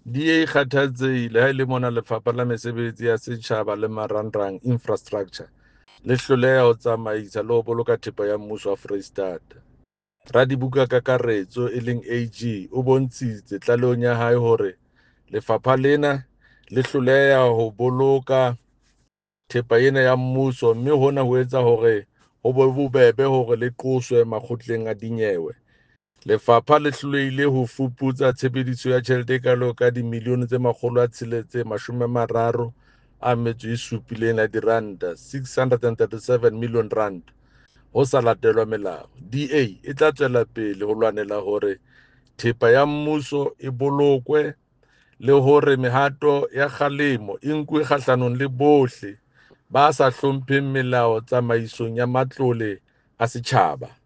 DA e kgathatsehile ha e le mona Lefapha la Mesebetsi ya Setjhaba le Marangrang, Infrastructure, le hloleha ho tsamaisa le ho boloka thepa ya mmuso wa Foreisetata. Radibukakakaretso, e leng AG, o bontshitse tlalehong ya hae hore lefapha lena le hloleha ho boloka thepa ena ya mmuso mme hona ho etsa hore ho be bobebe hore le qoswe makgotleng a dinyewe. Lefapha le hlolehile ho fuputsa tshebediso ya tjhelete e kalo ka dimilione tse 637 ya diranta, R637 million, ho sa latelwa melao. DA e tla tswela pele ho lwanela hore thepa ya mmuso e bolokwe le hore mehato ya kgalemo e nkuwe kgahlanong le bohle ba sa hlompheng melao tsamaisong ya matlole a setjhaba.